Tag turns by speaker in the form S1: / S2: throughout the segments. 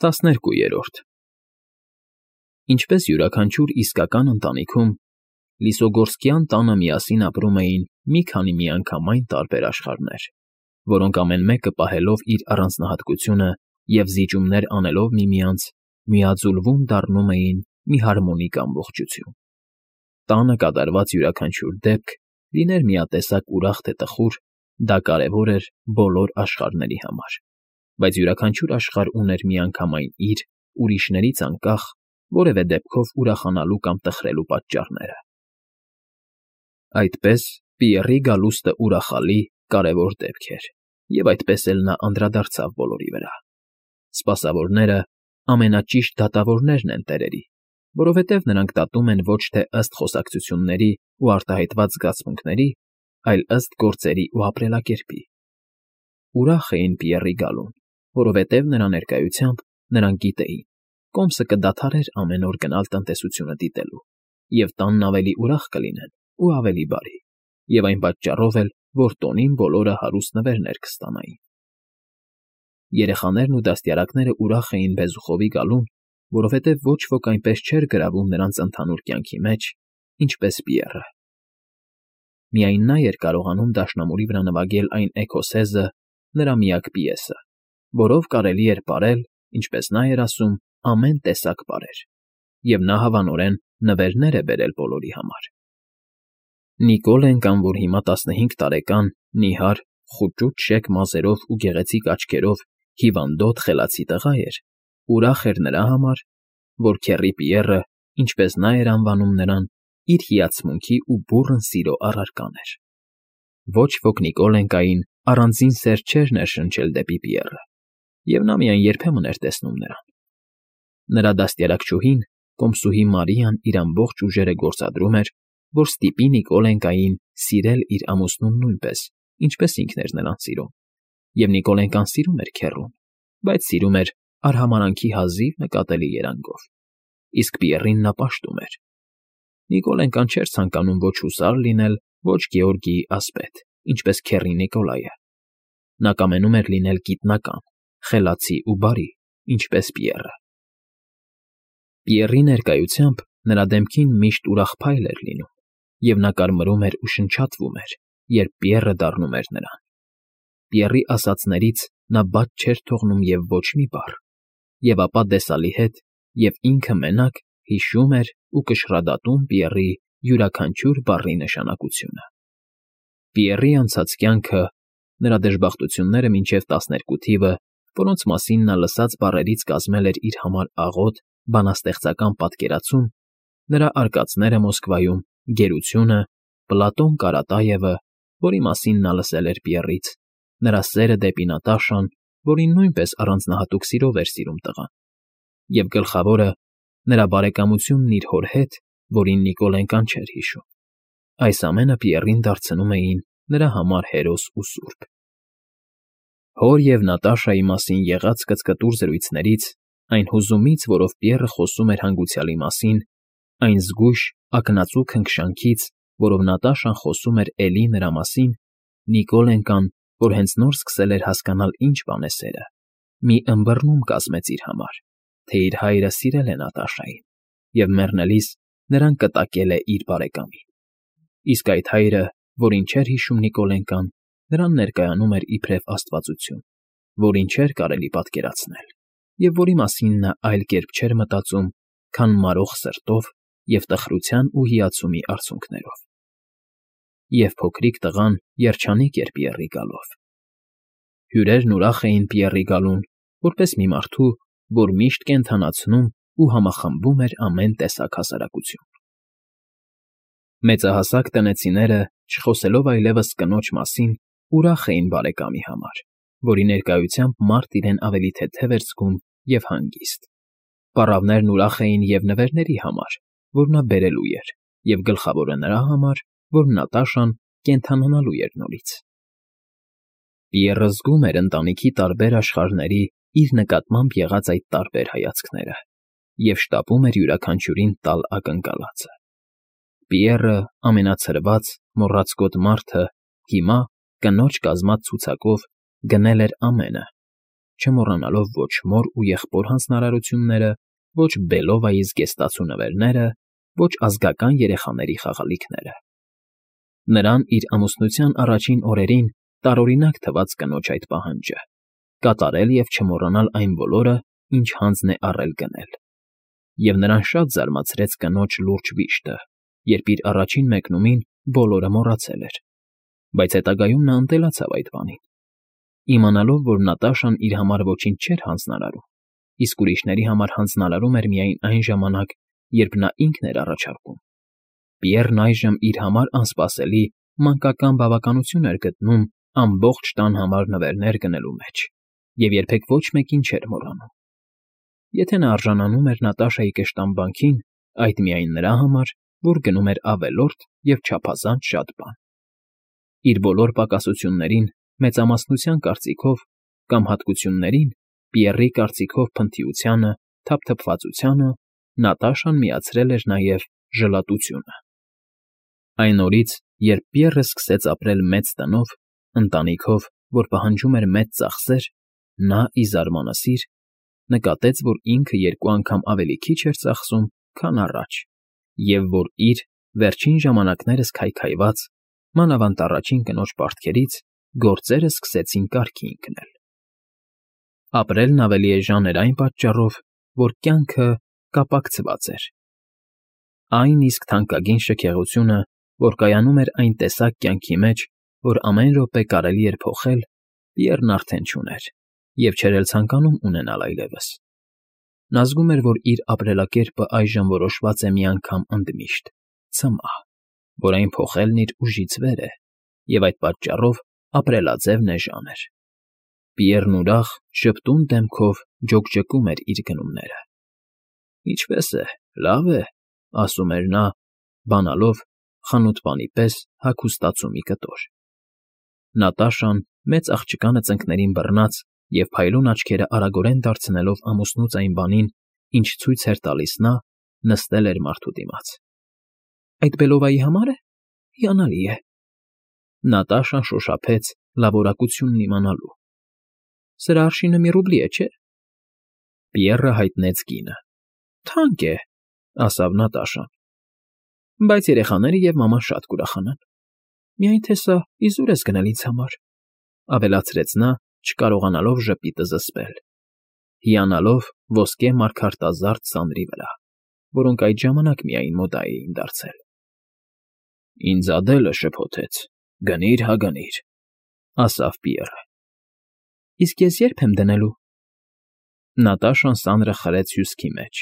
S1: 12 Ինչպես յուրաքանչյուր իսկական ընտանիքում, Լիսոգորսկյան տանը միասին ապրում էին մի քանի միանգամայն տարբեր աշխարհներ, որոնք ամեն մեկը պահելով իր առանձնահատկությունը և զիջումներ անելով միմյանց, միաձուլվում դառնում էին մի հարմոնիկ ամբողջություն։ Տանը կատարված յուրաքանչյուր դեպք, լիներ միատեսակ ուրախ թե տխուր, դա կարևոր էր բոլոր աշխարհների համար, բայց յուրաքանչյուր աշխարհ ուներ միանգամայն իր, ուրիշներից անկախ, որևէ դեպքով ուրախանալու կամ տխրելու պատճառները։ Այդպես Պիեռի գալուստը ուրախալի, կարևոր դեպք էր, և այդպես էլ նա անդրադարձավ բոլորի վրա։ Սպասավորները ամենաճիշտ դատավորներն են տերերի, որովհետև նրանք դատում են ոչ թե ըստ խոսակցությունների ու արտահայտված զգացմունքների, այլ ըստ գործերի ու ապրելակերպի։ Ուրախ էին Պիեռի գալուն, որովհետև նրա ներկայությամբ նրանք գիտեին, կոմսը կդադարեր ամեն օր գնալ տնտեսությունը դիտելու, և տանն ավելի ուրախ կլինեն ու ավելի բարի, և այն պատճառով էլ, որ տոնին բոլորը հարուստ նվերներ կստանային։ Երեխաներն ու դաստիարակները ուրախ էին Բեզուխովի գալուն, որովհետև ոչ ոք այնպես չէր գրավում նրանց ընդհանուր կյանքի մեջ, ինչպես Պիեռը։ Միայն նա էր կարողանում դաշնամուրի վրա նվագել այն էքոսեզը, նրա միակ պիեսը, որով կարելի էր պարել, ինչպես նա էր ասում, ամեն տեսակ պարեր, և նա հավանորեն նվերներ է բերել բոլորի համար։ Նիկոլեն կամ որ հիմա 15 տարեկան, նիհար, խուճուճ շեկ մազերով ու գեղեցիկ աչքերով հիվանդոտ խելացի տղա էր, ուրախ էր նրա համար, որ քեռի Պիեռը, ինչպես նա էր անվանում նրան, իր հիացմունքի ու բուռն սիրո առարկան էր։ Ոչ ոք Նիկոլենկային առանձին սեր չէր ներշնչել դեպի Պիեռը, և նա միայն երբեմն էր տեսնում նրան։ Նրա դաստիարակչուհին, կոմսուհի Մարիան իր ամբողջ ուժերը գործադրում էր, որ ստիպի Նիկոլենկային սիրել իր ամուսնուն նույնպես, ինչպես ինքն էր նրան սիրում, և Նիկոլենկան սիրում էր քեռուն, բայց սիրում էր արհամարհանքի հազիվ նկատելի երանգով, իսկ Պիեռին նա պաշտում էր։ Նիկոլենկան չէր ցանկանում ոչ հուսար լինել, ոչ Գեորգիի ասպետ, ինչպես քեռի Նիկոլայը։ Նա կամենում էր լինել գիտնական, խելացի ու բարի, ինչպես Պիեռը։ Պիեռի ներկայությամբ նրա դեմքին միշտ ուրախ փայլ էր լինում, և նա կարմրում էր ու շնչատվում էր, երբ Պիեռը դառնում էր նրան։ Պիեռի ասածներից նա բաց չէր թողնում և ոչ մի բառ, և ապա դեսալի հետ և ինքը մենակ հիշում էր ու կշռադատում Պիեռի յուրաքանչյուր բառի նշանակությունը։ Պիեռի անցած կյանքը, նրա դժբախտությունները մինչև 12 թիվը, որոնց մասին նա լսած բառերից կազմել էր իր համար աղոտ, բանաստեղծական պատկերացում, նրա արկածները Մոսկվայում, գերությունը, Պլատոն Կարատաևը, որի մասին նա լսել էր Պիեռից, նրա սերը դեպի Նատաշան, որին նույնպես առանձնահատուկ սիրով էր սիրում տղան, և գլխավորը, նրա բարեկամությունն իր հոր հետ, որին Նիկոլենկան չէր հիշում։ Այս ամենը Պիեռին դարձնում էին նրա համար հերոս ու սուրբ։ Հոր և Նատաշայի մասին եղած կծկտուր զրույցներից, այն հուզումից, որով Պիեռը խոսում էր հանգուցյալի մասին, այն զգույշ, ակնածու քնքշանքից, որով Նատաշան խոսում էր էլի նրա մասին, Նիկոլենկան, որ հենց նոր սկսել էր հասկանալ ինչ բան է սերը, մի ըմբռնում կազմեց իր համար, թե իր հայրը սիրել է Նատաշային, և մեռնելիս նրան կտակել է իր բարեկամին։ Իսկ այդ հայրը, որին չէր հիշում Նիկոլենկան, նրան ներկայանում էր իբրև աստվածություն, որին չէր կարելի պատկերացնել, և որի մասին նա այլ կերպ չէր մտածում, քան մարող սրտով և տխրության ու հիացումի արցունքներով։ Եվ փոքրիկ տղան երջանիկ էր Պիեռի գալով։ Հյուրերն ուրախ էին Պիեռի գալուն, որպես մի մարդու, որ միշտ կենդանացնում ու համախմբում էր ամեն տեսակ հասարակություն։ Մեծահասակ տնեցիները, չխոսելով այլևս կնոջ մասին, ուրախ էին բարեկամի համար, որի ներկայությամբ մարդ իրեն ավելի թեթև էր զգում և հանգիստ։ Պառավներն ուրախ էին և նվերների համար, որ նա բերելու էր, և գլխավորը նրա համար, որ Նատաշան կենդանանալու էր նորից։ Պիեռը զգում էր ընտանիքի տարբեր աշխարհների իր նկատմամբ եղած այդ տարբեր հայացքները և շտապում էր յուրաքանչյուրին տալ ակնկալածը։ Պիեռը, ամենացրված, մոռացկոտ մարդը, հիմա, կնոջ կազմած ցուցակով, գնել էր ամենը, չմոռանալով ոչ մոր ու եղբոր հանձնարարությունները, ոչ Բելովայի զգեստացու նվերները, ոչ ազգական երեխաների խաղալիքները։ Նրան իր ամուսնության առաջին օրերին տարօրինակ թվաց կնոջ այդ պահանջը՝ կատարել և չմոռանալ այն բոլորը, ինչ հանձն է առել գնել։ Եվ նրան շատ զարմացրեց կնոջ լուրջ վիշտը, երբ իր առաջին մեկնումին բոլորը մոռացել էր, բայց հետագայում նա ընտելացավ այդ բանին։ Իմանալով, որ Նատաշան իր համար ոչինչ չէր հանձնարարում, իսկ ուրիշների համար հանձնարարում էր միայն այն ժամանակ, երբ նա ինքն էր առաջարկում, Պիեռն այժմ իր համար անսպասելի, մանկական բավականություն էր գտնում ամբողջ տան համար նվերներ գնելու մեջ և երբեք ոչ մեկին չէր մոռանում։ Եթե նա արժանանում էր Նատաշայի կշտամբանքին, այդ միայն նրա համար, որ գնում էր ավելորդ և չափազանց շատ բան։ Իր բոլոր պակասություններին մեծամասնության կարծիքով կամ հատկություններին Պիեռի կարծիքով փնթիությանը, թափթփվածությանը Նատաշան միացրել էր նաև ժլատությունը։ Այն օրից, երբ Պիեռը սկսեց ապրել մեծ տնով, ընտանիքով, որ պահանջում էր մեծ ծախսեր, նա, ի զարմանասիր, նկատեց, որ ինքը երկու անգամ ավելի քիչ էր ծախսում, քան առաջ, և որ իր, վերջին ժամանակներս քայքայված, մանավանդ առաջին կնոջ պարտքերից, գործերը սկսեցին կարգի ընկնել։ Ապրելն ավելի էժան էր այն պատճառով, որ կյանքը կապակցված էր։ Այն իսկ թանկագին շքեղությունը, որ կայանում էր այն տեսակ կյանքի մեջ, որ ամեն րոպե կարելի էր փոխել, Պիեռն արդեն չուներ և չէր էլ ցանկանում ունենալ այլևս։ Նա զգում էր, որ իր ապրելակերպը այժմ որոշված է մի անգամ ընդմիշտ, ցմահ, որ այն փոխելն իր ուժից վեր է, և այդ պատճառով ապրելաձևն էժան էր։ Պիեռն ուրախ, ժպտուն դեմքով ջոկջկում էր իր գնումները։ «Ինչպե՞ս է, լավ է,֊ ասում էր նա, բանալով, խանութպանի պես հագուստացումի կտոր»։ Նատաշան, մեծ աղջկանը ծնկներին բռնած և փայլուն աչքերը արագորեն դարձնելով ամուսնուց այն բանին, ինչ ցույց էր տալիս նա, նստել էր մարդու դիմաց։ «Այդ Բելովայի համար է… Հիանալի է…»։ Նատաշան շոշափեց լավորակությունն իմանալու։ «Սրա արշինը մի ռուբլի է, չէ՞»։ Պիեռը հայտնեց գինը։ «Թանկ է,֊ ասավ Նատաշան,֊ բայց երեխաները և մաման շատ կուրախանան։ Միայն թե սա իզուր ես գնել ինձ համար,֊ ավելացրեց նա, չկարողանալով ժպիտը զսպել, հիանալով ոսկե մարգարտազարդ սանրի վրա, որոնք այդ ժամանակ միայն մոդա էին դարձել։ «Ինձ Ադելը շփոթեց. գնիր հա գնիր,֊ ասավ Պիեռը։ Իսկ ես ե՞րբ եմ դնելու։ Նատաշան սանրը խրեց հյուսքի մեջ։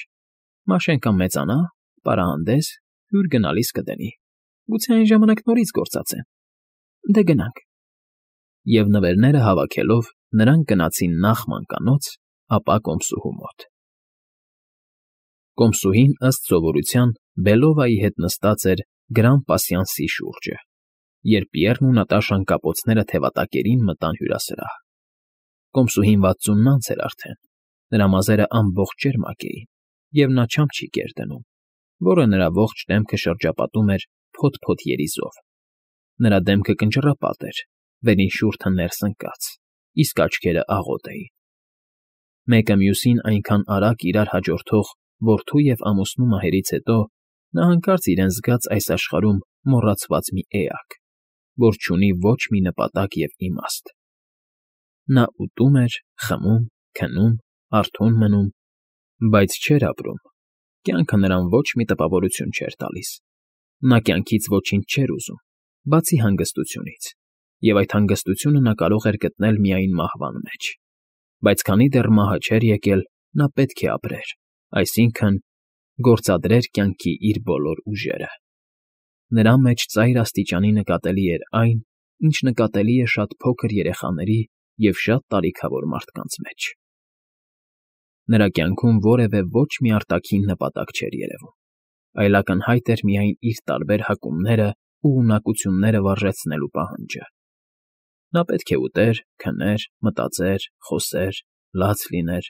S1: Մաշեն կամ մեծանա, պարահանդես, հյուր գնալիս կդնի։ Գուցե այն ժամանակ նորից գործածեմ։ Դե գնանք։ Եվ նվերները հավաքելով, նրանք գնացին նախ մանկանոց, ապա կոմսուհու մոտ։ Կոմսուհին, ըստ սովորության, Բելովայի հետ նստած էր գրան պասյանսի շուրջը, երբ Պիեռն ու Նատաշան կապոցները թևատակերին մտան հյուրասրահ։ Կոմսուհին 60-անց էր արդեն, նրա մազերը ամբողջ ճերմակ էին, և նա չամչիկ էր դնում, որը նրա ողջ դեմքը շրջապատում էր փոթ֊փոթ երիզով։ Նրա դեմքը կնճռապատ էր, վերին շուրթը ներս ընկած, իսկ աչքերը աղոտ էին։ Մեկը մյուսին այնքան արագ իրար հաջորդող որդու և ամուսնու մահերից հետո նա հանկարծ իրեն զգաց այս աշխարհում մոռացված մի էակ, որ չունի ոչ մի նպատակ և իմաստ։ Նա ուտում էր, խմում, քնում, արթուն մնում, բայց չէր ապրում, կյանքը նրան ոչ մի տպավորություն չէր տալիս։ Նա կյանքից ոչինչ չէր ուզում, բացի հանգստությունից, և այդ հանգստությունը նա կարող էր գտնել միայն մահվան մեջ։ Բայց քանի դեռ մահը չէր եկել, նա պետք է ապրեր, այսինքն՝ գործադրեր կյանքի իր բոլոր ուժերը։ Նրա մեջ ծայր աստիճանի նկատելի էր այն, ինչ նկատելի է շատ փոքր երեխաների և շատ տարիքավոր մարդկանց մեջ։ Նրա կյանքում որևէ ոչ մի արտաքին նպատակ չէր երևում, այլ ակնհայտ էր միայն իր տարբեր հակումները ու ունակությունները վարժեցնելու պահանջը։ Նա պետք է ուտեր, քներ, մտածեր, խոսեր, լաց լիներ,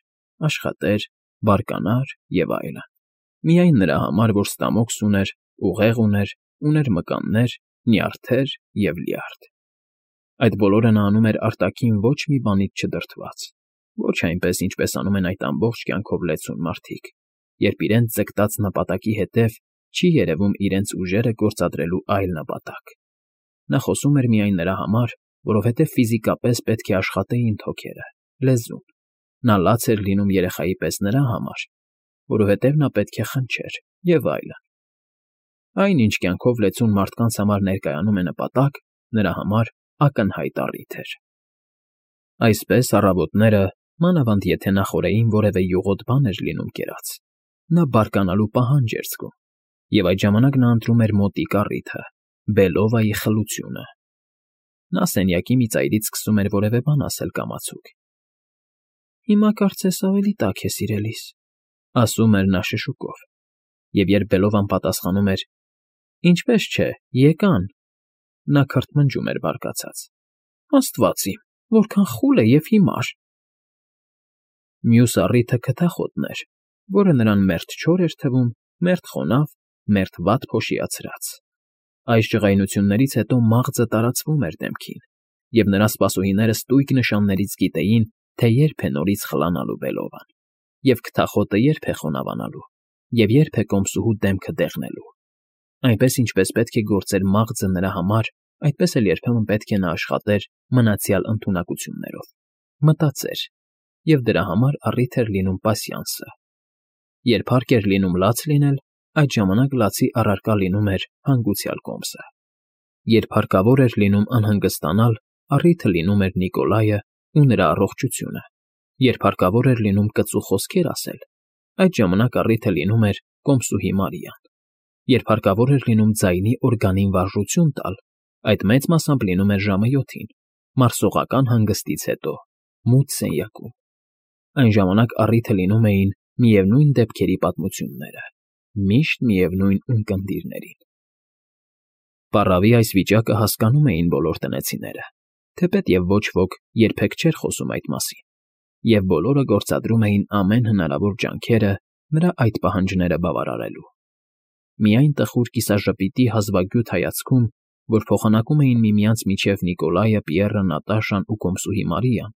S1: աշխատեր, բարկանար և այլն։ Միայն նրա համար, որ ստամոքս ուներ, ուղեղ ուներ մկաններ, նյարդեր և լյարդ։ Այդ բոլորը նա անում էր արտաքին ոչ մի բանից չդրդված, Ոչ այնպես, ինչպես անում են այդ ամբողջ կյանքով լեցուն մարդիկ, երբ իրենց ձգտած նպատակի հետև չի երևում իրենց ուժերը գործադրելու այլ նպատակ։ Նա խոսում էր միայն նրա համար, որովհետև ֆիզիկապես պետք է աշխատեին թոքերը, լեզուն։ Նա լաց էր լինում երեխայի պես նրա համար, որովհետև նա պետք է խնչեր և այլն։ Այն, ինչ կյանքով լեցուն մարդկանց համար ներկայանում է նպատակ, նրա համար ակնհայտ առիթ էր։ Այսպես առավոտները, մանավանդ եթե նախօրեին որևէ յուղոտ բան էր լինում կերած, նա բարկանալու պահանջ էր զգում, և այդ ժամանակ նա ընտրում էր մոտիկ առիթը՝ Բելովայի խլությունը։ Նա սենյակի մի ծայրից սկսում էր որևէ բան ասել կամացուկ։ «Հիմա կարծես ավելի տաք է, սիրելիս», ասում էր նա շշուկով, և երբ Բելովան պատասխանում էր. «Ինչպես չէ, եկան», նա քրթմնջում էր բարկացած. «Աստված իմ, որքան խուլ է և հիմար»։ Մյուս առիթը քթախոտն էր, որը նրան մերթ չոր էր թվում, մերթ խոնավ, մերթ վատ փոշիացրած։ Այս ջղայնություններից հետո մաղձը տարածվում էր դեմքին, և նրա սպասուհիները ստույգ նշաններից գիտեին, թե երբ է նորից խլանալու Բելովան, և քթախոտը երբ է խոնավանալու, և երբ է կոմսուհու դեմքը դեղնելու։ Այնպես, ինչպես պետք է գործեր մաղձը նրա համար, այդպես էլ երբեմն պետք է նա աշխատեր մնացյալ ընդունակություններով, մտածեր, և դրա համար առիթ էր լինում պասյանսը։ Երբ հարկ էր լինում լաց լինել, այդ ժամանակ լացի առարկա լինում էր հանգուցյալ կոմսը։ Երբ հարկավոր էր լինում անհանգստանալ, առիթը լինում էր Նիկոլայը ու նրա առողջությունը։ Երբ հարկավոր էր լինում կծու խոսքեր ասել, այդ ժամանակ առիթը լինում էր կոմսուհի Մարիան։ Երբ հարկավոր էր լինում ձայնի օրգանին վարժություն տալ, այդ մեծ մասամբ լինում էր ժամը 7-ին, մարսողական հանգստից հետո, մութ սենյակում։ Այն ժամանակ առիթը լինում էին միևնույն դեպքերի պատմությունները, միշտ միևնույն ունկնդիրներին։ Պառավի այս վիճակը հասկանում էին բոլոր տնեցիները, թեպետև ոչ ոք երբեք չէր խոսում այդ մասին, և բոլորը գործադրում էին ամեն հնարավոր ջանքերը նրա այդ պահանջները բավարարելու։ Միայն տխուր կիսաժպիտի հազվագյուտ հայացքում, որ փոխանակում էին միմյանց միջև Նիկոլայը, Պիեռը, Նատաշան ու կոմսուհի Մարիան,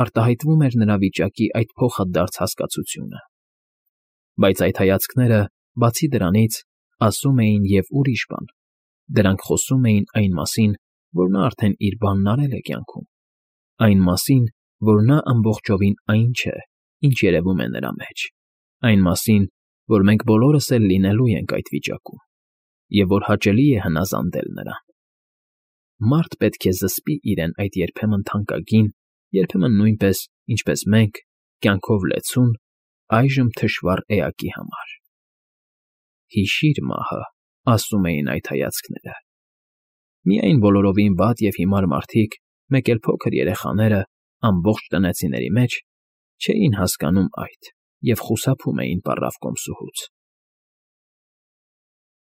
S1: արտահայտվում էր նրա վիճակի այդ փոխադարձ հասկացությունը։ Բայց այդ հայացքները, բացի դրանից, ասում էին և ուրիշ բան. դրանք խոսում էին այն մասին, որ նա արդեն իր բանն արել է կյանքում, այն մասին, որ նա ամբողջովին այն չէ, ինչ երևում է նրա մեջ, այն մասին, որ մենք բոլորս էլ լինելու ենք այդ վիճակում, և որ հաճելի է հնազանդել նրան։ Մարդ պետք է զսպի իրեն այդ երբեմն թանկագին, երբեմն նույնպես, ինչպես մենք, կյանքով լեցուն, այժմ թշվառ էակի համար։ «Հիշի՛ր մահը», ասում էին այդ հայացքները։ Միայն բոլորովին վատ և հիմար մարդիկ, մեկ էլ փոքր երեխաները, ամբողջ տնեցիների մեջ չէին հասկանում այդ և խուսափում էին պառավ կոմսուհուց։